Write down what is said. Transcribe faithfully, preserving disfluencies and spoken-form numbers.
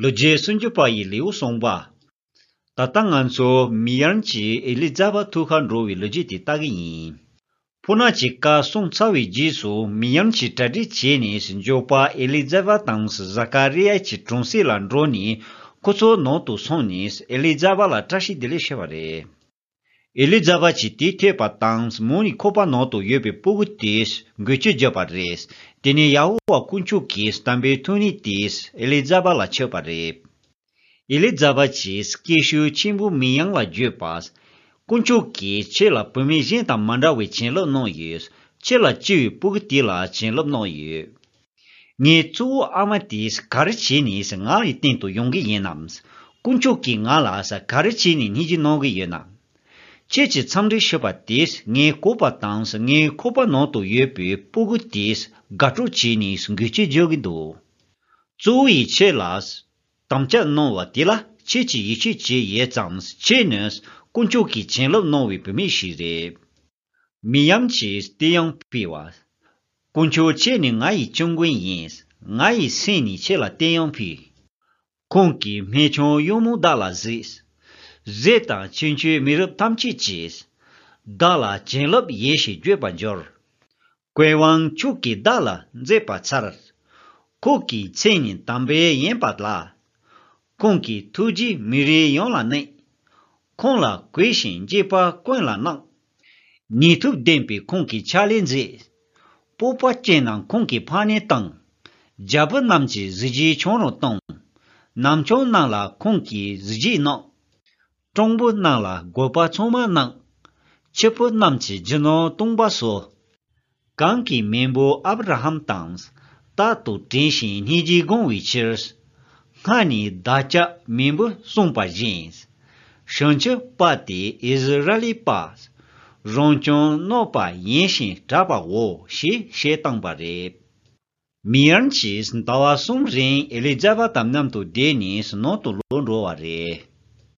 ལོ་རྒྱུས་སུམ་ཅུ་པ་ཡི་ལེའུ་གསུངས་པ། ད་ལྟ་ང་ཚོ་མིར་ཡམ་གྱིས་ཨེ་ལི་ཛ་བཱད་ཐུག་གར་འགྲོ་བའི་ལོ་རྒྱུས་དེ་ལྟ་གི་ཡིན། ཕོ་ཉ་གི་བཀའ་གསུངས་ཚར་བའི་རྗེས་སུ་མིར་ཡམ་གྱིས་གྲ་སྒྲིག་བྱས་ནས་མགྱོགས་པ་ཨེ་ལི་ཛ་བཱད་དང་ཟ་ཀ་རི་ཡཱ་གྱི་གྲོང་གསེབ་ལ་འགྲོ་ནས་ཁོ་ཚོའི་ནང་དུ་སོང་ནས་ཨེ་ལི་ཛ་བཱད་ལ་བཀྲ་ཤིས་བདེ་ལེགས་ཞུས་པ་རེད། ཨེ་ལི་ཛ་བཱད་ཀྱིས་དེ་ཐོས་པ་དང་མོ་ནི་ཁོག་པ་ནང་དུ་ཡོད་པའི་སྤུ་གུ་དེ་འགུལ་སྐྱོད་བརྒྱབ་པ་རེད། དེ་ནས་ཡ་ཧོ་ཝཱ་དཀོན་མཆོག་གི་དམ་པའི་ཐུགས་ཉིད་དེ་ཨེ་ལི་ཛ་བཱད་ལ་ཆགས་པ་རེད། ཨེ་ལི་ཛ་བཱད་ཀྱིས་སྐད་ཤུགས་ཆེན་པོས་མིར་ཡམ་ལ་བརྗོད་པ། དཀོན་མཆོག་གིས་ཁྱེད་ལ་བུད་མེད་གཞན་དང་མ་འདྲ་བའི་བྱིན་རླབས་གནང་ཡོད། ཁྱེད་ལ་སྐྱེས་པའི་སྤུ་གུ་དེ་ལ་བྱིན་རླབས་གནང་ཡོད། ངའི་གཙོ་བོ་ཨ་མ་དེས་ག་རེ་བྱས་ནས་ང་ཡི་སྟེང་དུ་ཡོང་གི་ཡིན་ནམ། དཀོན་མཆོག་གིས་ང་ལ་ག་རེ་བྱས་ནས་སྙིང་རྗེ་གནང་གི་ཡོད་ནམ། ཁྱེད་ཀྱིས་འཚམས་འདྲི་ཞུས་པ་དེས་ངའི་བཀོད་པ་དང་ངའི་ཁོག་པ་ནང་དུ་ཡོད་པའི་སྤུ་གུ་དེས་དགའ་སྤྲོ་བྱས་ནས་འགུལ་སྐྱོད་བརྒྱབ་ཀྱི་འདུག། གཙོ་བོ་ཡིས་ཁྱེད་ལ་དམ་བཅའ་གནང་བ་དེ་ལ་ཁྱེད་ཀྱིས་ཡིད་ཆེས་བྱས་ཡོད་ཙང་ཁྱེད་ནི་དཀོན་མཆོག་གིས་བྱིན་རླབས་གནང་བའི་བུད་མེད་ཞིག་རེད། མིར་ཡམ་གྱིས་དེ་ཡང་ཕུལ་བ། དཀོན་མཆོག་ཁྱེད་ནི་ང་ཡི་སྐྱབས་མགོན་ཡིན། ང་ཡི་སེམས་ནི་ཁྱེད་ལ་དེ་ཡང་ཕུལ། ཁོང་གིས་སྨན་ཆུང་གཡུང་མོ་བདག་ལ་གཟིགས། གཟིགས་དང་ཁྱེད་ཆོས་མི་རབས་ཐམས་ཅད་ཀྱིས། བདག་ལ་བྱིན་རླབས་ཡོད་ཞེས་བརྗོད་པར་འགྱུར། ཀུན་དབང་མཆོག་གིས་བདག་ལ་མཛད་པར་འཚལ། ཁོང་གི་མཚན་ནི་དམ་པའི་ཡིན་པ་ལ། ཁོང་གི་ཐུགས་རྗེས་མི་རིགས་ཡོངས་ལ་གནས། ཁོང་ལ་གུས་ཤིང་དགྱེས་པ་ཀུན་ལ་གནང་། ནུས་མཐུ་ལྡན་པའི་ཁོང་གི་ཕྱག་ལས་མཛད། སྤོབས་པ་ཅན་རྣམས་ཁོང་གིས་ཕངས་ནས་བཏང་། རྒྱལ་པོ་རྣམས་ཀྱི་གཟི་བརྗིད་ཁྱོད་རང་བཏང་། ནམ་ཆུང་རྣམས་ལ་ཁོང་གིས་གཟི་བརྗིད་གནང་། སྤྲང་པོ་རྣམས་ལ་རྒོད་པ་ཚང་མ་གནང་། ཕྱུག་པོ་རྣམས་ཀྱི་རྒྱུ་ནོར་སྟོང་པ་གསོ། གང་གིས་མེས་པོ་ཨབ་ར་ཧམ་དང་། རྟག་ཏུ་དྲན་ཞིང་སྙིང་རྗེ་དགོངས་པའི་ཕྱིར། སྔར་ནས་བདག་ཅག་མེས་པོས་གསུངས་པ་བཞིན། བྱང་ཆུབ་པ་དེ་ཨིསི་ར་ཨེལ་པ། རང་བྱུང་གནོད་པ་ཡིན་ཞིང་གྲགས་པའོ་ཞེས་བཤད་བཏང་པ་རེད། མིར་ཡམ་གྱིས་ཟླ་བ་གསུམ་རིང་ཨེ་ལི་ཛ་བཱད་དང་མཉམ་དུ་བསྡད་ནས་ནང་དུ་ལོག་འགྲོ་བ་རེད།